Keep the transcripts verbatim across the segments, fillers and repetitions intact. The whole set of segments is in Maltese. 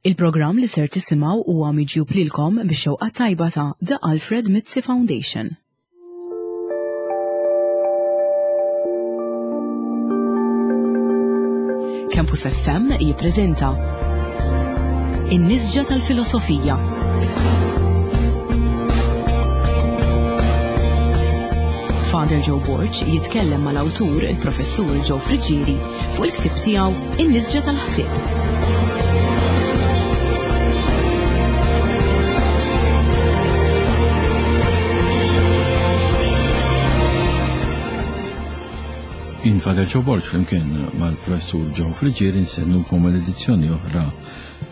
Il-programm li ser tisimgħu huwa miġjub lilkom bix-xewqa tajba ta' The Alfred Mizzi Foundation. Campus F M jippreżenta In-Nisġa tal-Filosofija. Father Joe Borg jitkellem mal-awtur il-Professur Joe Friggieri fuq il-ktieb tiegħu In-Nisġa tal-Ħsieb. Jien Father Joe Borg flimkien mal-Professur Joe Friggieri nsennukom l-edizzjoni oħra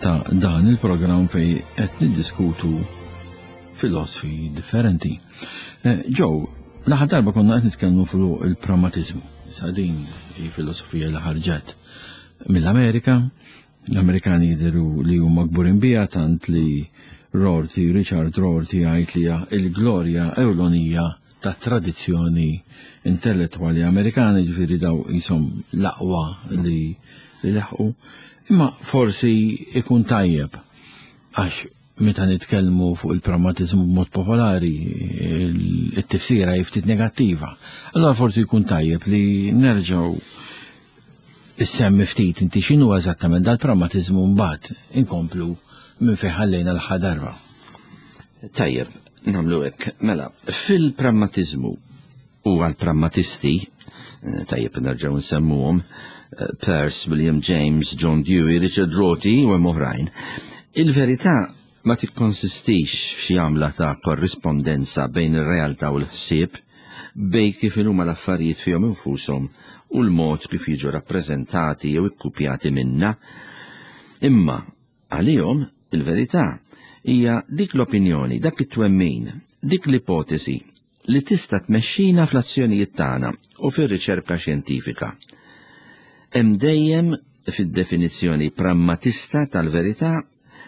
ta' dan il-programm fej qed niddiskutu filosofi differenti. Eh, Joe, l-aħħar darba konna qed nitkellmu fuq il-pragmatiżmu. Sa din hi filosofija li ħarġet mill-Amerika. L-Amerikani jidhru li huma kburin biha tant li Rorty, Richard Rorty jgħid li hija l-glorja ewlenija ta' tradizzjoni intellettwali Amerikani, ġifieri daw jisom l-aqwa li, li laħqu. Imma forsi ikun tajjeb għax meta nitkellmu fuq il-pragmatiżmu b'mod popolari it-tifsira hi ftit negattiva. Allora forsi jkun tajjeb li nerġgħu issemmi ftit inti x'inhu eżattament dal-pragmatiżmu mbagħad inkomplu minn fejn ħallejna l-aħħar darba. Tajjeb, nagħmlu hekk. Mela, fil-pragmatiżmu u għall-pragmatisti, tajjeb nerġgħu nsemmuhom, Peirce, William James, John Dewey, Richard Rorty u hemm oħrajn. Il-verità ma tikkonsistix f'xi għamla ta' korrispondenza bejn ir-realtà u l-ħsieb, bejn kif inhuma l-affarijiet fihom infushom u l-mod kif jiġu rappreżentati jew ikkupjati minna. Imma għalihom il-verità hija dik l-opinjoni, dak it-twemmin, dik l-ipotesi li tista' tmexxina fl-azzjonijiet tagħna u fir-riċerka xjentifika. Hemm dejjem fid-definizzjoni pragmatista tal-verità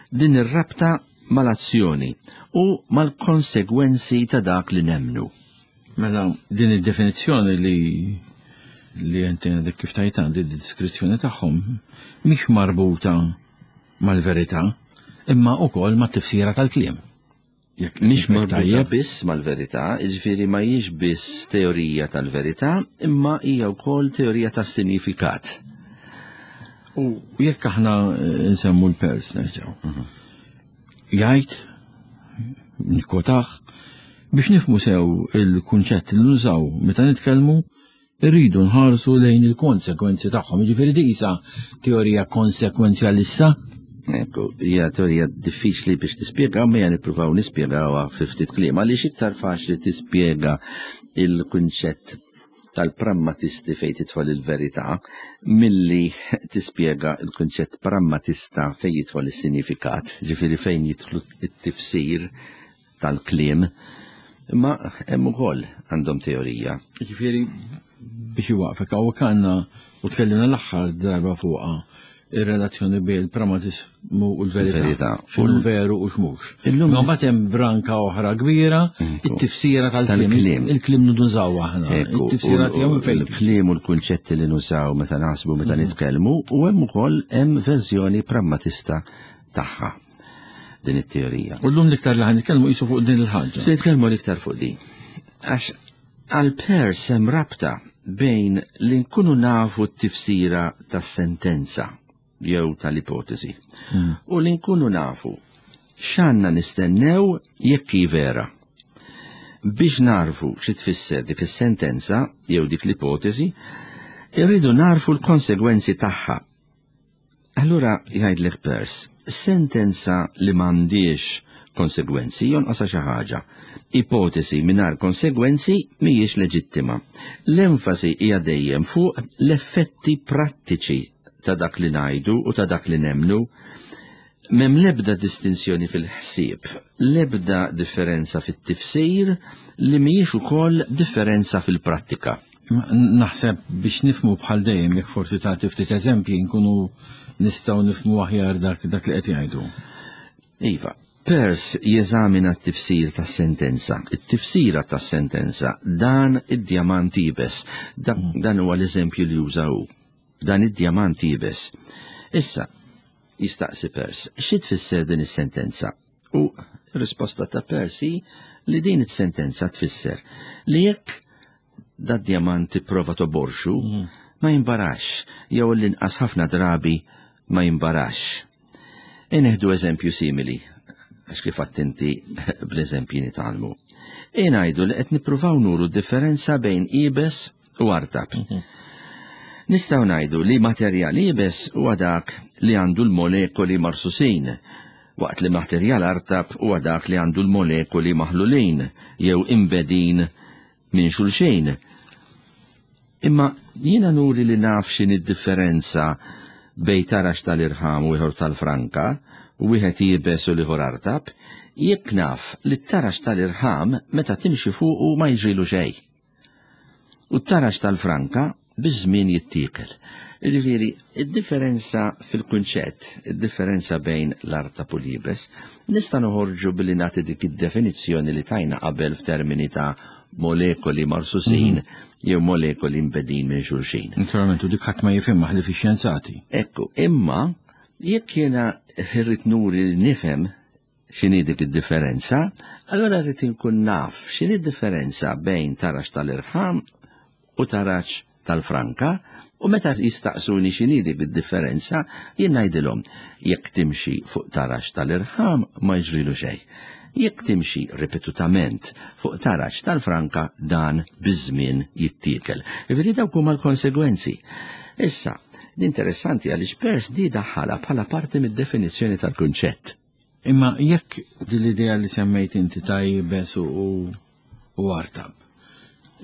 din ir-rabta mal-azzjoni u mal-konsegwenzi ta' dak li nemmnu. Mela din id-definizzjoni li, li inti għandek kif tajt għandi d-deskrizzjoni tagħhom mhix marbuta mal-verità imma wkoll mat-tifsira tal-kliem. Jekk Mhix nifhmek marbuta tajjeb. biss mal-verità, jiġifieri ma hijiex biss teorija tal-verità, imma hija wkoll teorija tas-sinifikat. U jekk aħna nsemmu l-Peirce nerġgħu. Mhm. Jgħid, nikkotaħ, biex nifhmu sew il-kunċett li nużaw meta nitkellmu, irridu nħarsu lejn il-konsekwenzi tagħhom. Jiġifieri dik isa teorija konsekwenzjalista. Ekku, hija teorija diffiċli biex tispjega, ma hija nippruvaw nispjegawha fi ftit kliem, għaliex iktar faċli tispjega il-kunċett tal-pragmatisti fejn tidħol il-verità milli tispjega il-kunċett pragmatista fejn jidħol is-sinifikat, ġifieri fejn jidħlu t-tifsir tal-kliem. Imma hemm ukoll għandhom teorija. Ġifieri biex iwaqfek hawnhekk għandna u tkellimna l-aħħar darba fuqha ir-relazzjoni bejn il-pragmatiżmu u l-verità. Il-verità. X'inhu veru u x'mhux. Illum Imma mbagħad hemm branka oħra kbira, Ekku. it-tifsira tal-kliem. Tal-kliem. Il-kliem nużaw aħna. Ekku, It-tifsira u- tiegħu u fejn. Il-kliem u l-kunċetti li nużaw meta naħsbu meta Mhm. nitkellmu, u hemm ukoll hemm verżjoni pragmatista tagħha din it-teorija. U llum l-iktar li ħan nitkellmu qisu fuq din il-ħaġa. Se nitkellmu l-iktar fuq din. Għax għal Peirce hemm rabta bejn li nkunu nafu t-tifsira tas-sentenza jew tal-ipotesi. Mm. U li nkunu nafu x'għandna nistennew jekk hi vera. Biex narfu xi tfisser dik is-sentenza jew dik l-ipotesi, irridu narfu l-konsegwenzi tagħha. Allura jgħidlek Peirce, sentenza li m'għandix konsegwenzi jonqosha xi ħaġa. Ipotesi mingħajr konsegwenzi mhijiex leġittima. L-enfasi hija dejjem fuq l-effetti prattiċi ta' dak li ngħidu u ta' dak li nemmnu. M'hemm l-ebda distinzjoni fil-ħsieb, l-ebda differenza fit-tifsir li mhijiex ukoll differenza fil-prattika. Ma naħseb biex nifhmu bħal dejjem jekk forsi tagħti ftit eżempji nkunu nistgħu nifhmu aħjar dak, dak li qed jgħidu. Iva, Peirce jeżamina t-tifsir tas-sentenza. It-tifsira tas-sentenza, dan id-djamant iebes. Da-, Mm. Dan huwa l-eżempju li juża hu. Dan id-djamant iebes. Issa, Jistaqsi Peirce, xi tfisser din is-sentenza? U risposta ta' Peirce hi li din is-sentenza tfisser li jekk dad-djamant tipprova toborxu, ma jimbarax, jew l-inqas ħafna drabi ma jimbarax. E nieħdu eżempju simili, għax kif inti bl-eżempji nitgħallmu. E ngħidu li qed nippruvaw nuru differenza bejn iebes u artab. Nistgħu ngħidu li materjal iebes huwa dak li għandu l-molekoli marsusin, waqt li materjal artab huwa dak li għandu l-molekoli maħlulin jew imbegħdin minn xulxin. Imma jiena nuri li naf x'inhi d-differenza bejn tarax tal-irħam u ieħor tal-franka, u wieħed iebes u l-ieħor artab, jekk naf li t-tarax tal-irħam meta timxi fuqu ma jiġrilu xejn. U t-tarax tal-franka biż-żmien jittiekel. Jiġifieri, id-differenza fil-kunċett, id-differenza bejn l-artab u l-iebes, nista' noħorġu billi nagħti dik id-definizzjoni li tajna qabel f'termini ta' molekoli marsusin jew molekoli mbegħdin minn xulxin. Naturalment, u dik ħadd ma jifhimha ħlief ix-xjenzati. Ekku, imma jekk jiena irrid nuri li nifhem x'inhi dik id-differenza, allora rrid inkun naf x'inhi d-differenza bejn tarax tal-irħam u tarax tal-franka, u meta jistaqsuni x'inhi dik id-differenza, jien ngħidilhom jekk timxi fuq tarax tal-irħam ma jiġrilu xejn. Jekk timxi ripetutament fuq tarax tal-franka dan biż-żmien jittiekel. Jiġifieri dawk huma l-konsegwenzi. Issa, interessanti għaliex Peirce di daħħala bħala parti mid-definizzjoni tal-kunċett. Imma jekk din l-idea li semmejt inti ta' iebes u u artab,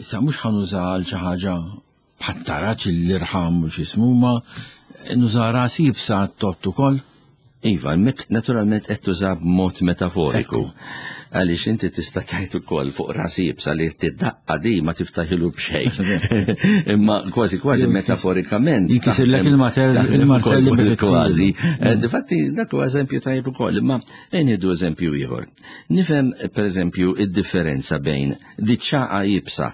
issa mhux ħa nuża għal xi ħaġa bħat-taraġ l-irħam u x'ismu ma nuża ras iebsa tot ukoll. Iva, mek naturalment qed tuża b'mod metaforiku. Għaliex inti tista' tgħid ukoll fuq ras iebsa li tidaqqa di ma tiftaħilu b'xejn. Imma kważi kważi metaforikament. Jinkisirlek il-mater- taħdem il-martelli ukoll bifettivi. Kważi. Eh, Difatti dak huwa eżempju tajjeb ukoll, imma nieħdu eżempju ieħor. Nifhem pereżempju id-differenza bejn diċ-ċagħqa iebsa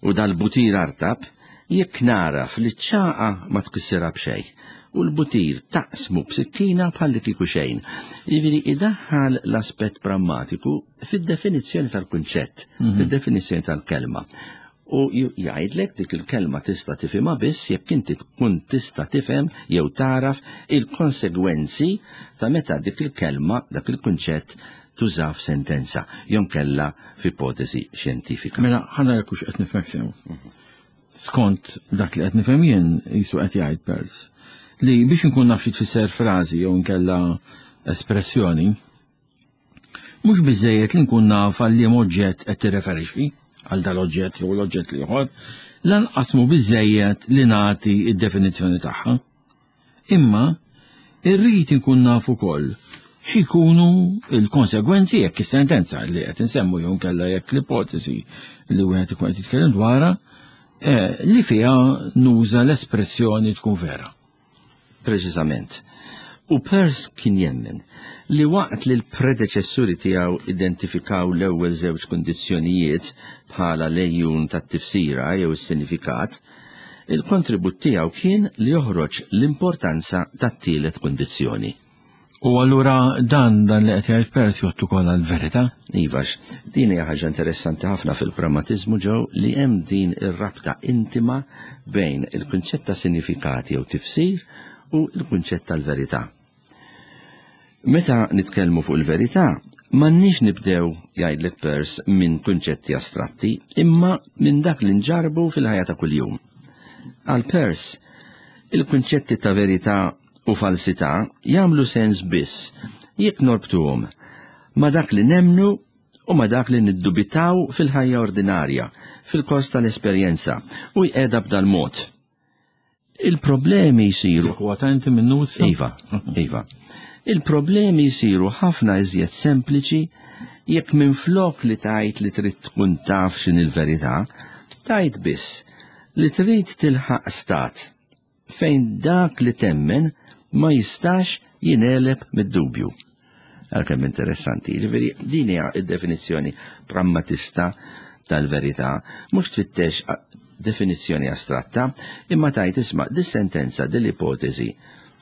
u dal-butir artab, jekk naraf li ċ-ċagħqa ma tkissirha b'xejn u l-butir taqsmu b'sikkina bħalli kieku xejn. Jiġifieri idaħħal l-aspett prammatiku fid-definizzjoni tal-kunċett, fid-definizzjoni tal-kelma. U ju- jgħidlek dik il-kelma tista' tifhimha biss jekk inti tkun tista' tifhem jew taraf il-konsegwenzi ta' meta dik il-kelma, dak il-kunċett tuża f'sentenza, jew kella f'ipotesi xjentifika. Mela, ħa nara hux qed nifhmek sew. Skont dak li qed nifhem jien jisu qed jgħid Peirce li biex nkun naf xi tfisser frażi jew nkella espressjoni, mhux biżejjed li nkun naf għal liem oġġett qed tirreferixxi għal dal-oġġett jew l-oġġett l-ieħor, lanqas mhu biżejjed li nagħti id-definizzjoni tagħha. Imma irrid inkun naf ukoll x'ikunu il-konsegwenzi jekk is-sentenza li qed insemmu jew nkella jekk l-ipotesi li wieħed ikun qed jitkellem dwarha eh, li fiha nuża l-espressjoni tkun vera. Preċiżament. U Peirce kien jemmen li waqt li l-predeċessuri tiegħu identifikaw l-ewwel żewġ kundizzjonijiet bħala l-għejun tat-tifsira jew is-sinifikat, il-kontribut tiegħu kien li joħroġ l-importanza tat-tielet kundizzjoni. U allura dan dan li qed jgħid Peirce jgħoddu ukoll għall-verità? Ivax, din hija ħaġa interessanti ħafna fil-pragmatiżmu ġew li hemm din ir-rabta intima bejn il-kunċett ta' sinifikat jew tifsir u l-kunċett tal-verità. Meta nitkellmu fuq il-verità, m'għandniex nibdew jgħidlek Peirce minn kunċetti astratti, imma minn dak li nġarbu fil-ħajja ta' kuljum. Għal Peirce, il-kunċetti ta' verità u falsità jagħmlu sens biss jekk norbtuhom ma' dak li nemnu u ma' dak li niddubitaw fil-ħajja ordinarja, fil-kors tal-esperjenza, u jqegħda b'dal-mod. Il-problemi jsiru Kwota inti minnu issa? Iva, iva. Il-problemi jsiru ħafna iżjed sempliċi jekk minn flok li tajt li trid tkun taf x'inhi l-verità, tajt biss li trid tilħaq stat fejn dak li temmen ma jistax jingħeleb mid-dubju. Għalkemm interessanti, jiġifieri din hija id-definizzjoni pragmatista tal-verità, mhux tfittex definizzjoni astratta, imma tajt isma' dis-sentenza, dil-ipotesi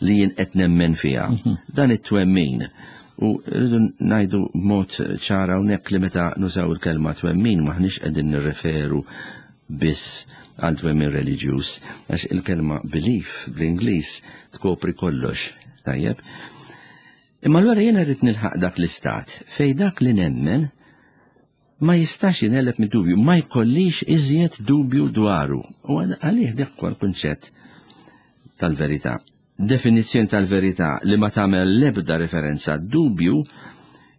li jien qed nemmen fiha. Dan it-twemmin. U rridu ngħidu b'mod ċara hawnhekk li meta nużaw il-kelma twemmin maħniex qegħdin nirreferu biss għal twemmin reliġjuż, għax il-kelma belief bl-Ingliż tkopri kollox, tajjeb. Imma allura jiena rrid nilħaq dak l-istat fej dak li nemmen ma jistax jinqeleb mid-dubju, ma jkollix iżjed dubju dwaru. U għalih dak huwa l-kunċett tal-verità. Definizzjoni tal-verità li ma tagħmel l-ebda referenza dubju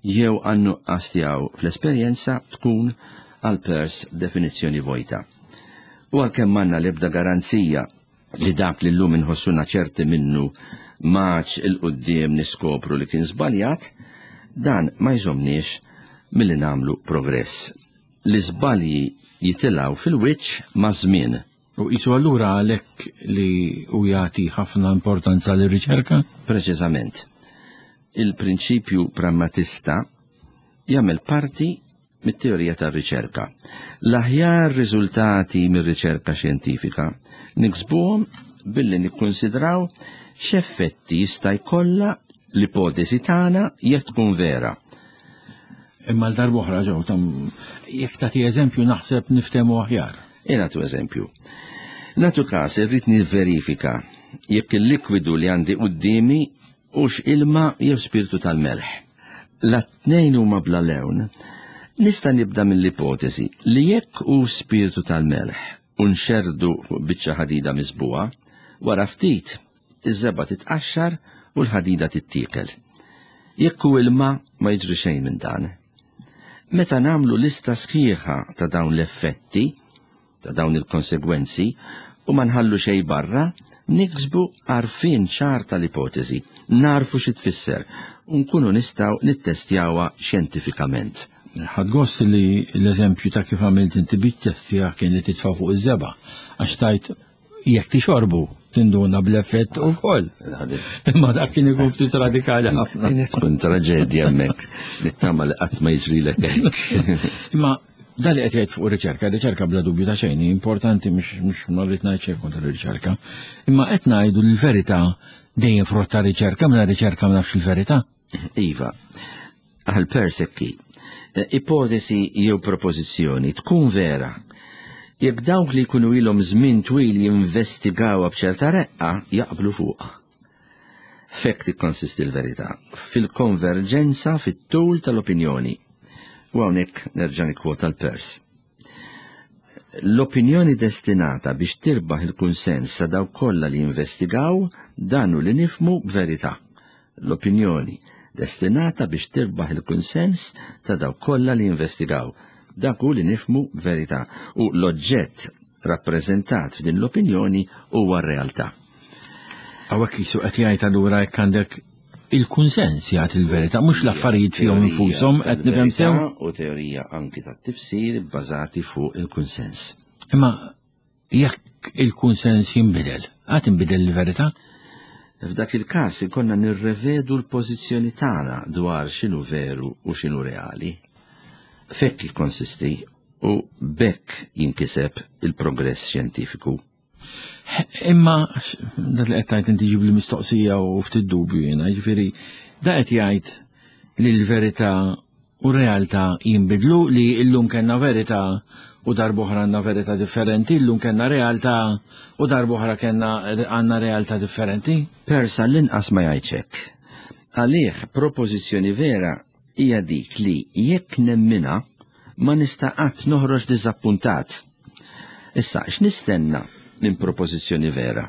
jew għan-nuqqas tiegħu fl-esperjenza tkun għal Peirce definizzjoni vojta. U għalkemm m'għandna l-ebda garanzija li dak li llum inħossuna ċerti minnu maċ il-quddiem niskopru li kien żbaljat, dan ma jżomniex milli nagħmlu progress. L-iżbalji jitilgħu fil-wiċċ ma' żmien. U qisu allura għalhekk li u jagħti ħafna importanza lir-riċerka? Preċiżament. Il-prinċipju pragmatista jagħmel parti mit-teorija tar-riċerka. L-aħjar riżultati mir-riċerka xjentifika niksbuhom billi nikkonsidraw x'effetti jista' jkollha l-ipotesi tagħna jekk tkun vera. Imma l-darb'oħra ġew tam jekk tagħti eżempju naħseb niftehmu aħjar. E nagħtu eżempju. Nagħtu każ irrid nivverifika jekk il-likwidu li għandi quddiemi hux ilma jew spirtu tal-melħ. La tnejn huma bla lewn, nista' nibda mill-ipotesi li jekk hu spirtu tal-melħ u nxerrdu fuq biċċa ħadida miżbugħa, wara ftit iż-żebgħa titqaxxar u l-ħadida tittiekel. Jekk hu ilma ma jiġri xejn minn dan. Meta nagħmlu lista sħiħa ta' dawn l-effetti, ta' dawn il-konsegwenzi, u ma nħallu xejn barra, niksbu għarfien ċar tal-ipotesi, narfu xi tfisser, u nkunu nistgħu nittestjawha xjentifikament. Ħadt gost li l-eżempju ta' kif għamilt inti bit-testja kien li titfa' fuq iż-żebgħa, għax tajt jekk tixorbu tinduna bl-effett ukoll. Imma dak kien ikun ftit radikali ħafna. Kienet tkun traġedja hemmhekk, nittama li qatt ma jiġrilek hekk. Imma dan li qed jgħid fuq riċerka, riċerka bla dubju ta' xejn, importanti mhux mhux ma rrid ngħid xejn kontra r-riċerka, imma qed ngħidu li l-verità dejjem frott ta' riċerka, minn riċerka ma nafx il-verità. Iva, għal Peirce hekk hi, ipotesi jew propożizzjoni tkun vera jekk dawk li jkunu ilhom żmien twil jinvestigawha b'ċerta reqqa jaqblu fuqha. F'hekk tikkonsisti l-verità, fil-konverġenza fit-tul tal-opinjoni. U hawnhekk nerġa' nikkwota l-Peirce. L-opinjoni destinata biex tirbaħ il-kunsens sa dawk kollha li jinvestigaw dan hu li nifhmu b'verità. L-opinjoni destinata biex tirbaħ il-kunsens ta' dawk kollha li jinvestigaw. Dak hu li nifhmu b'verità u l-oġġett rappreżentat f'din l-opinjoni huwa r-realtà. Hawnhekk qisu qed jgħid allura jekk għandek il-kunsens jagħti il-verità, mhux l-affarijiet fihom infushom qed nifhem sew. U teorija anki tat-tifsir bbażati fuq il-kunsens. Imma jekk il-kunsens jinbidel, għad inbidel il-verità? F'dak il-każ ikollna nirrevedu l-pożizzjoni tagħna dwar x'inhu veru u x'inhu reali. F'hekk jikkonsisti u b'hekk jinkiseb il-progress xjentifiku. Imma dak li qed tgħid inti ġib li mistoqsija u ftit dubju jiena, jiġifieri da qed jgħid li l-verità u r-realtà jinbidlu, li llum kellna verità u darb'oħra għandna verità differenti, llum kellna realtà u darb'oħra kellna għandna realtà differenti? Peirce l-inqas ma jgħidx hekk. Għalih propożizzjoni vera hija dik li jekk nemminha ma nista' qatt noħroġ diżappuntat. Issa, x'nistenna minn propożizzjoni vera?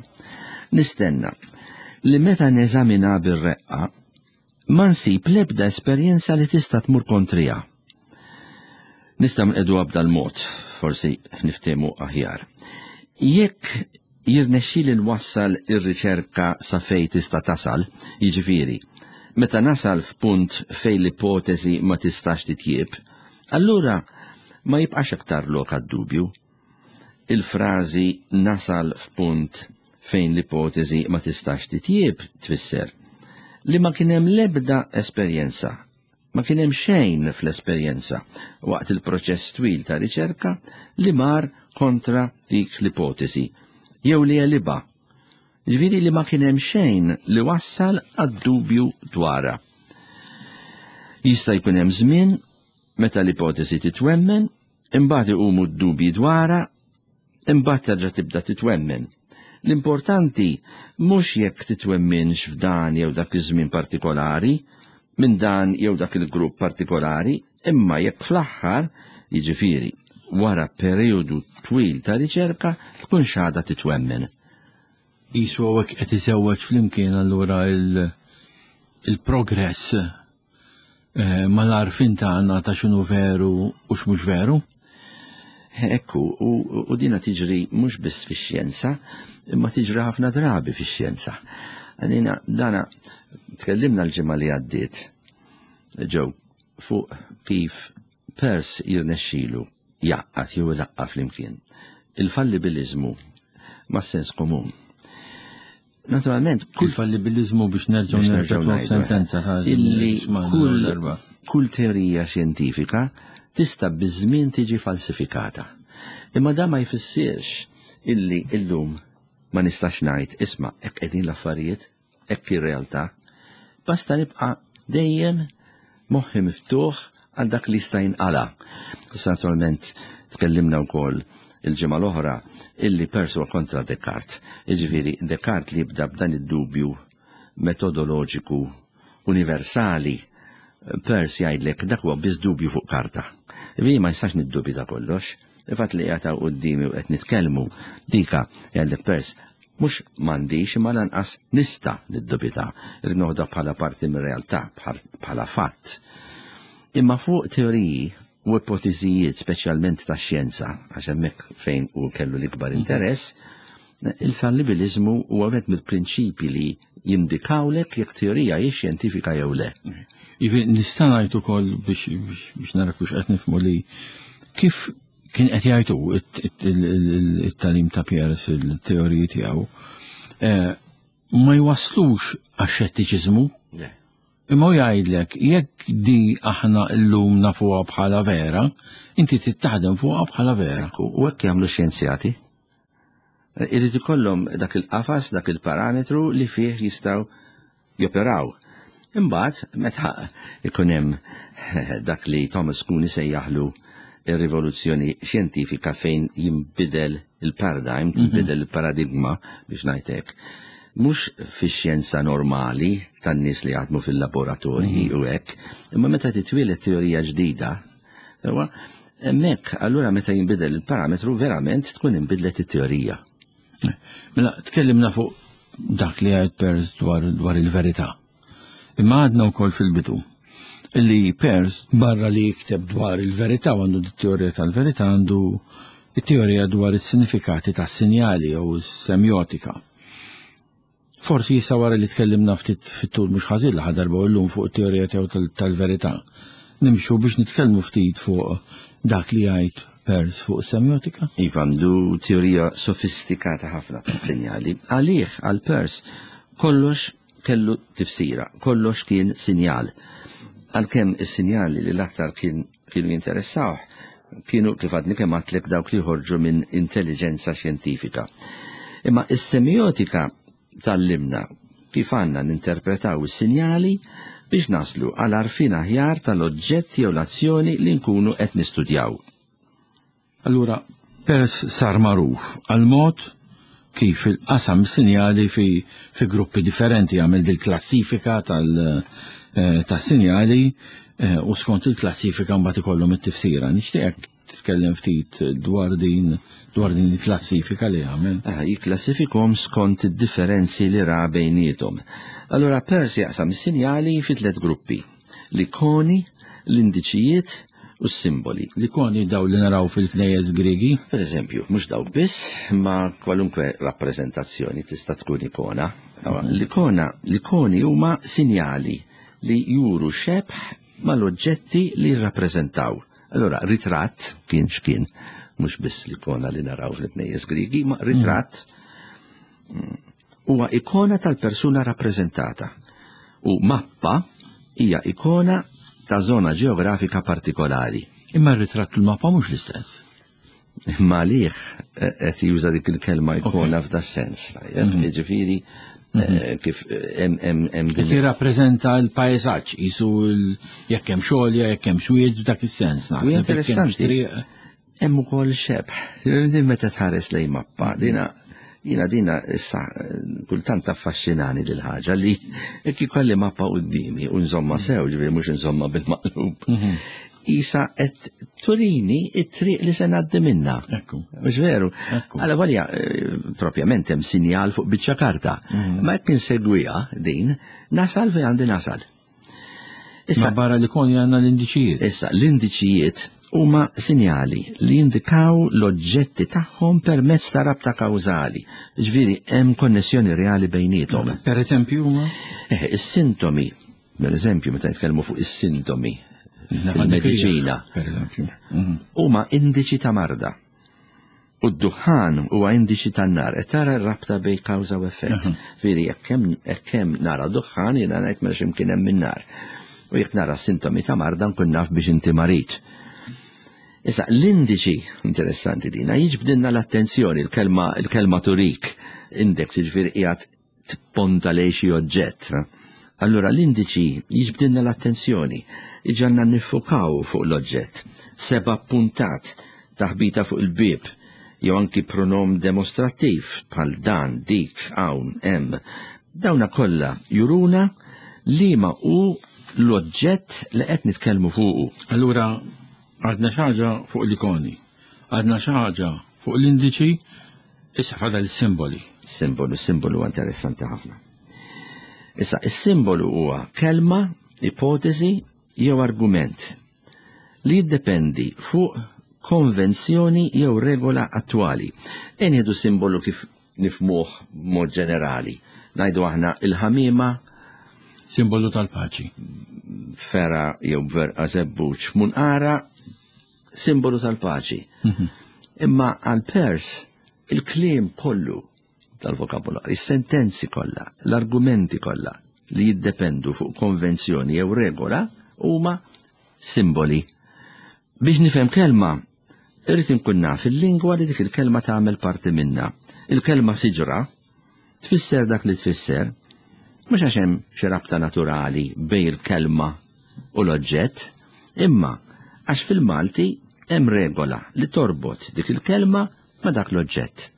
Nistenna li meta neżamina bir-reqqa ma nsib l-ebda esperjenza li tista' tmur kontrija. Nista' nqegħdu b'dal-mod, forsi niftehmu aħjar. Jekk jirnexxieli nwassal ir-riċerka sa fejn tista' tasal, jiġifieri, meta nasal f'punt fejn l-ipotesi ma tistax titjieb, allura ma jibqax aktar lok għad-dubju. Il-frażi nasal f'punt fejn l-ipotesi ma tistax titjieb tfisser li ma kien hemm l-ebda esperjenza, ma kien hemm xejn fl-esperjenza waqt il-proċess twil ta' riċerka li mar kontra dik l-ipotesi, jew li għelibha, Ġifieri li ma kien hemm xejn li wassal għad-dubju dwarha. Jista' jkun hemm żmien meta l-ipotesi titwemmen, imbagħad iqumu d-dubji dwarha, imbagħad terġa' tibda titwemmen. L-importanti mhux jekk titwemminx f'dan jew dak iż-żmien partikolari, minn dan jew dak il-grupp partikolari, imma jekk fl-aħħar, jiġifieri wara perjodu twil ta' riċerka, tkun xada titwemmen. Qisu hawnhekk qed iżewweġ flimkien allura il-progress eh, mal-għarfien tagħna ta' x'inhu veru u x'mhux veru. Ekku, u, u dina tiġri mhux biss fix-xjenza, imma tiġri ħafna drabi fix-xjenza. Għalina, dana, tkellimna l-ġimgħa li għaddiet, ġew, fuq kif Peirce jirnexxilu jgħaqqad jew ilaqqa' flimkien il-fallibilizmu ma' sens komun. Naturalment, kull fallibilizmu biex nerġgħu nerġgħu sentenza illi kull, kull teorija xjentifika tista' biż-żmien tiġi falsifikata. Imma da ma jfissirx illi illum ma nistax ngħid isma' hekk qegħdin l-affarijiet, hekk ir-realtà. Basta nibqa' dejjem moħħi miftuħ għal dak li jista' jinqala. Issa naturalment tkellimna wkoll il-ġimgħa l-oħra illi Peirce huwa kontra Descartes. Jiġifieri Descartes li jibda b'dan id-dubju metodoloġiku universali, Peirce jgħidlek dak huwa biss dubju fuq karta. Vi ma jistax niddubita kollox. Il-fatt li qiegħed qudiemi u qed nitkellmu dika jgħidlek Peirce mhux m'għandix imma lanqas nista' niddubita. Irrid noħodha bħala parti mir-realtà, bħala fatt. Imma fuq teoriji u ipoteżijiet speċjalment ta' xjenza, għax hemmhekk fejn u kellu l-ikbar interess, il-fallibilizmu huwa wieħed mill-prinċipi li jindikawlek jekk teorija hi xjentifika jew le. Ivi nista' ngħid ukoll biex biex nara kux qed nifhmu li kif kien qed jgħidu it-tagħlim ta' Peirce il-teoriji tiegħu ma jwaslux għax-xettiċiżmu. Imma jgħidlek jekk di aħna llum nafuha bħala vera, inti tittaħdem fuqha bħala vera. U hekk jagħmlu xjenzjati. Irid ikollhom dak il-qafas, dak il-parametru li fih jistgħu joperaw. Imbagħad meta ikun hemm dak li Thomas Kuhn isejjaħlu ir-rivoluzzjoni xjentifika fejn jinbidel il-paradigm, tinbidel il-paradigma biex ngħidlek. Mhux fix-xjenza normali tan-nies li jaħdmu fil-laboratorji u hekk, imma meta titwieled teorija ġdida, huwa hemmhekk allura meta jinbidel il-parametru verament tkun inbidlet it-teorija. Mela tkellimna fuq dak li għid Peirce dwar, dwar il-verità. Imma għadna wkoll fil-bidu illi Peirce barra li jikteb dwar il-verità u għandu t-teorija tal-verità għandu it-teorija dwar is-sinifikati tas-sinjali jew semiotika. Forsi jisa wara li tkellimna ftit fit-tul mhux ħażin l darba u llum fuq it-teorija tiegħu tal-verità. Nimxu biex nitkellmu ftit fuq dak li jgħid Peirce fuq semiotika? Iva, għandu teorija sofistikata ħafna tas-sinjali. Għalih, għal Peirce, kollox kellu tifsira, kollox kien sinjal. Għalkemm is-sinjali li l-aktar kien kienu jinteressawh kienu kif għadni kemm għedtlek dawk li ħorġu minn intelligenza xjentifika. Imma is-semiotika tallimna kif għandna ninterpretaw is-sinjali biex naslu għal għarfien aħjar tal-oġġetti jew l-azzjoni li nkunu qed nistudjaw. Allura, Peirce sar magħruf għal mod kif il-qasam sinjali fi, fi gruppi differenti, għamel dil-klassifika tal-sinjali eh, u skont il-klassifika mbagħad ikollhom it-tifsira. Nixtieqek titkellem ftit dwar din dwar din il-klassifika li għamel. Ah, jikklassifikhom skont id-differenzi li ra bejniethom. Allura Peirce jaqsam is-sinjali fi tliet gruppi: l-ikoni, l-indiċijiet u s-simboli. L-ikoni daw li naraw fil-knejjes Griegi? Per eżempju, mhux dawk biss, ma kwalunkwe rappreżentazzjoni tista' tkun ikona. L-ikona, l-ikoni huma sinjali li juru xebh mal-oġġetti li jirrappreżentaw. Allora, ritratt kien x'kien, mhux biss l-ikona li naraw fil-knejjes Griegi, ma ritratt huwa ikona tal-persuna rappreżentata. U mappa hija ikona ta' zona ġeografika partikolari. Imma r-ritratt u l-mappa mhux l-istess. Imma għalih qed juża dik il-kelma ikona f'da sens. Jiġifieri kif hemm hemm Kif jirrappreżenta l-pajsaġġ, jisu jekk hemm xogħol, jekk hemm xwied f'dak is-sens naħseb. Interessanti. Hemm ukoll xebh. Din meta tħares lejn mappa, dina jiena dina issa kultant affaxxinani dil ħaġa li jekk ikolli mappa quddiemi u nżomma sew, ġifieri mhux nżomma bil-maqlub. Isa qed turini it-triq li se ngħaddi minna. Ekku. Mhux veru. Ekku. Alla volja propjament hemm sinjal fuq biċċa karta. Ma jekk insegwiha din, nasal fejn għandi nasal. Issa barra li koni għandna l-indiċijiet. Issa l-indiċijiet huma sinjali li jindikaw l-oġġetti tagħhom permezz ta' rabta kawżali. Ġifieri hemm konnessjoni reali bejniethom. Per eżempju huma? Eh, is-sintomi, per eżempju meta nitkellmu fuq is-sintomi fil-mediċina, Per eżempju. huma indiċi ta' marda. U d-duħan huwa indiċi tan-nar. Qed tara r-rabta bejn kawża u effett. Fieri jekk hemm jekk hemm nara duħan jiena ngħid mela x'imkien hemm min-nar. U jekk nara sintomi ta' marda nkun naf biex inti marid. Issa, l-indiċi, interessanti dina, jiġbdilna l-attenzjoni, il-kelma, il-kelma turik, index, jiġifieri qiegħed tipponta lejn xi oġġett. Allura l-indiċi jiġbdilna l-attenzjoni, iġagħalna niffukaw fuq l-oġġett. Seba' puntat, taħbita fuq il-bib, jew anki pronom demonstrattiv bħal dan, dik, hawn, hemm. Dawna kollha juruna li ma hu l-oġġett li qed nitkellmu fuqu. Allura għadna xi ħaġa fuq l-ikoni, għadna xi ħaġa fuq l-indiċi, issa fadal il-simboli. Simbolu, simbolu huwa interessanti ħafna. Issa, is-simbolu huwa kelma, ipotezi jew argument li jiddependi fuq konvenzjoni jew regola attwali. E nieħdu simbolu kif nifmuh b'mod ġenerali. Ngħidu aħna il-ħamima Simbolu tal-paċi. Fera jew verqa żebbuġ munqara, simbolu tal-paċi. Imma għal Peirce il-kliem kollu tal-vokabularju, is-sentenzi kollha, l-argumenti kollha li jiddependu fuq konvenzjoni jew regola huma simboli. Biex nifhem kelma, irrid inkun naf il-lingwa li dik il-kelma tagħmel parti minna. Il-kelma siġra tfisser dak li tfisser, mhux għax hemm xi rabta naturali bejn il-kelma u l-oġġett, imma għax fil-Malti hemm regola li torbot dik il-kelma ma' dak l-oġġett.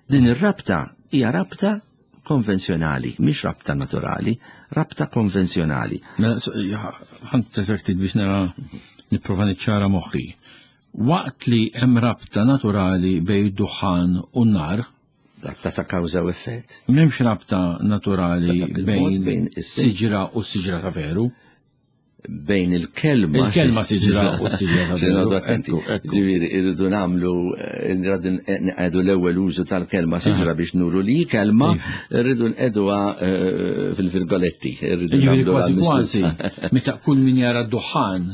Din ir-rabta hija rabta konvenzjonali, mhix rabta naturali, rabta konvenzjonali. Mela, ħa ftit biex nara nipprova niċċara moħħi. Waqt li hemm rabta naturali bejn duħan u n-nar, Rabta ta' kawża u effett. M'hemmx rabta naturali Rabta bil-mod bejn bejn is- siġra u siġra ta' veru. Bejn il-kelma. Il-kelma siġra u siġra ta' veru. Noqogħdu attenti. Ekku, ekku. Ġifieri, irridu nagħmlu, eh, irridu nqegħdu l-ewwel użu tal-kelma siġra biex nuru li kelma, irridu nqegħduha eh, fil-virgoletti. Irridu Ġifieri nagħmluha kważi mislu- kważi, meta kull min jara d-duħan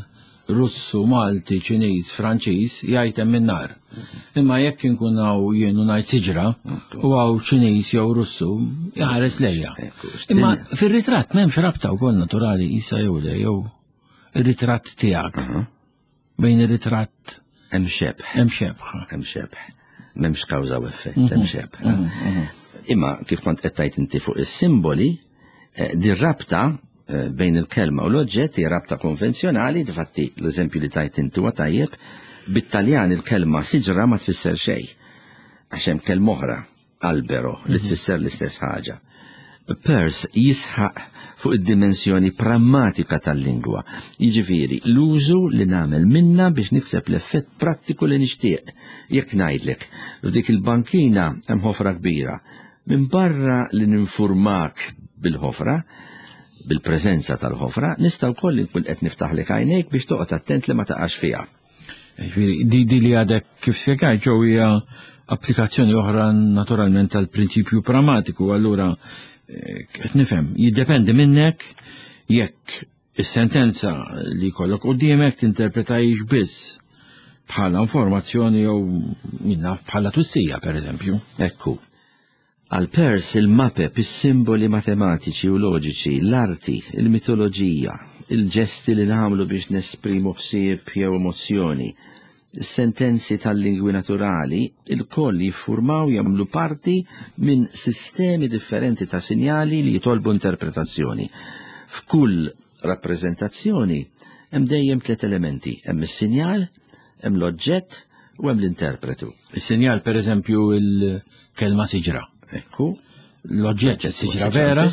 Russu, Malti, Ċiniż, Franċiż, jgħid hemm in-nar. Imma jekk inkun hawn jien u ngħid siġra, u hawn Ċiniż jew Russu, jħares lejja. Ekku, Imma din- fir-ritratt m'hemmx rabta wkoll naturali isa jew le jew ir-ritratt tiegħek. Bejn ir-ritratt Hemm xebh. hemm xebħa. Hemm xebh. M'hemmx kawża u effett, hemm xebh. Imma kif kont qed tgħid inti fuq is-simboli, eh, din rabta eh, bejn il-kelma u l-oġġett hija rabta konvenzjonali, difatti l-eżempju li tajt inti huwa tajjeb, bit-Taljan il-kelma siġra ma tfisser xejn. Għax hemm kelma oħra, albero, li tfisser l-istess ħaġa. Peirce jisħaq fuq id-dimensjoni prammatika tal-lingwa. Jiġifieri l-użu li nagħmel minna biex nikseb l-effett prattiku li nixtieq. Jekk ngħidlek, f'dik il-bankina hemm ħofra kbira. Minn barra li ninfurmak bil-ħofra, bil-preżenza tal-ħofra, nista' wkoll inkun qed niftaħlek għajnejk biex toqgħod attent li ma taqax fiha. Ġifieri, di, di li għadek kif spjegajt ġew hija applikazzjoni oħra naturalment tal-prinċipju prammatiku, allura eh, qed nifhem, jiddependi minnek jekk is-sentenza li jkollok quddiemek tinterpretajx biss bħala informazzjoni jew minna bħala twissija pereżempju. Ekku. Għal Peirce il-mapep, is-simboli matematiċi u loġiċi, l-arti, il-mitoloġija, il-ġesti li nagħmlu biex nesprimu ħsieb jew emozzjoni, Sentenzi tal-lingwi naturali il-koll jiffurmaw jagħmlu parti minn sistemi differenti ta' sinjali li jitolbu interpretazzjoni. F'kull rappreżentazzjoni hemm dejjem tliet elementi, hemm is-sinjal, hemm l-oġġett u hemm l-interpretu. Is-sinjal per eżempju il-kelma siġra. Ekku. L-oġġett siġra vera.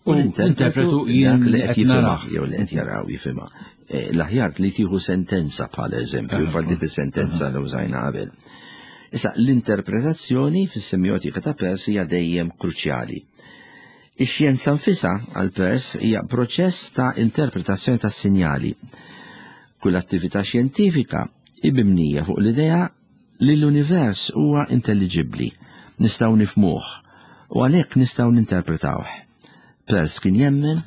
U l-interpretu jien li qed jifhimha jew li qed jaraw jifhimha. L-aħjar li tieħu sentenza bħala eżempju, bħal dik is-sentenza li użajna qabel. Issa l-interpretazzjoni fis-semjotika ta' Peirce hija dejjem kruċjali. Ix-xjenza nfisha għal Peirce hija proċess ta' interpretazzjoni tas-sinjali. Kull attività xjentifika hi mibnija fuq l-idea li l-univers huwa intelligibbli, nistgħu nifhmuh u għalhekk nistgħu ninterpretawh. Peirce kien jemmen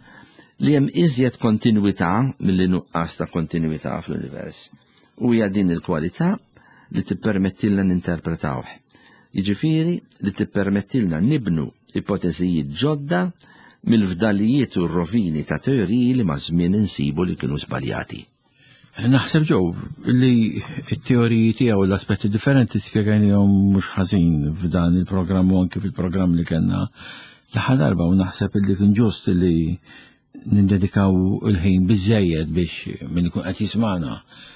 li hemm iżjed kontinwità milli nuqqas ta' kontinwità fl-univers. U hija din il-kwalità li tippermettilna ninterpretawh. Jiġifieri li tippermettilna nibnu ipoteżijiet ġodda mill-fdalijiet u r-rovini ta' teoriji li maż-żmien insibu li kienu żbaljati. Naħseb ġew li t-teoriji tiegħu l-aspetti differenti spjegajnihom mhux ħażin f'dan il-programm u anke fil-programm li kellna l-aħħar darba, u naħseb li kien ġust li nindedikaw il-ħin biżejjed biex min ikun qed jismana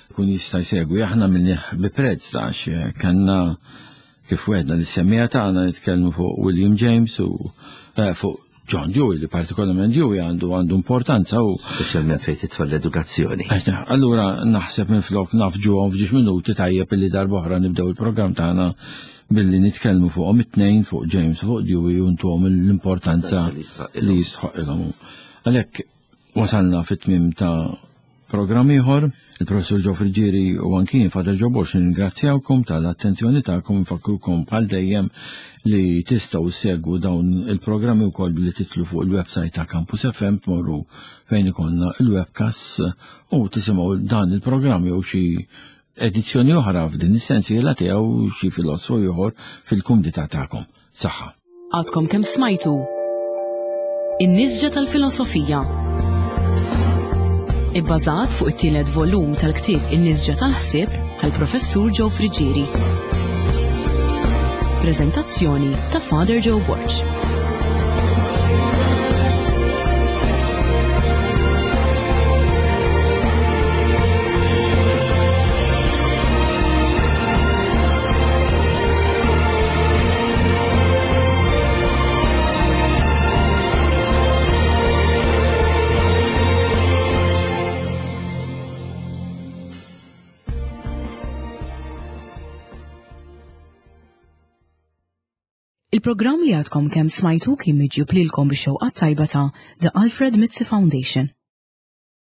jkun jista' jsegwi. Aħna minnih bi prezz għax kellna kif wedna li semmija tagħna nitkellmu fuq William James u eh, fuq John Dewey, li partikolarment Dewey għandu għandu importanza u Speċjalment fejn tidħol l-edukazzjoni. Allura naħseb minflok nafġuhom f'ġiex minuti tajjeb illi darb'oħra nibdew il-programm tagħna billi nitkellmu fuqhom it-tnejn, fuq James u fuq Dewey, u ntuhom l-importanza li jistħoqilhom. Għalhekk wasalna fit-tmiem ta' programm ieħor. Il-professur Joe Friggieri u anki Father Joe Borg ningrazzjawkom tal-attenzjoni tagħkom, nfakkrukom bħal dejjem li tistgħu ssegwu dawn il-programmi wkoll billi titlu fuq il-website ta' Campus F M, tmorru fejn ikollna il-webcast u tisimgħu dan il-programm jew xi edizzjoni oħra f'din is-sensiela tiegħu xi filosfu ieħor fil-kumdità tagħkom. Saħħa. Għadkom kemm smajtu In-Nisġa tal-Filosofija, ibbażat fuq it-tielet volum tal-ktieb In-Nisġa tal-Ħsieb tal-Professur Joe Friggieri. Preżentazzjoni ta' Father Joe Borg. Il-programm li għadkom kemm smajtu kien miġjub lilkom bix-xewqa tajba ta' The Alfred Mizzi Foundation.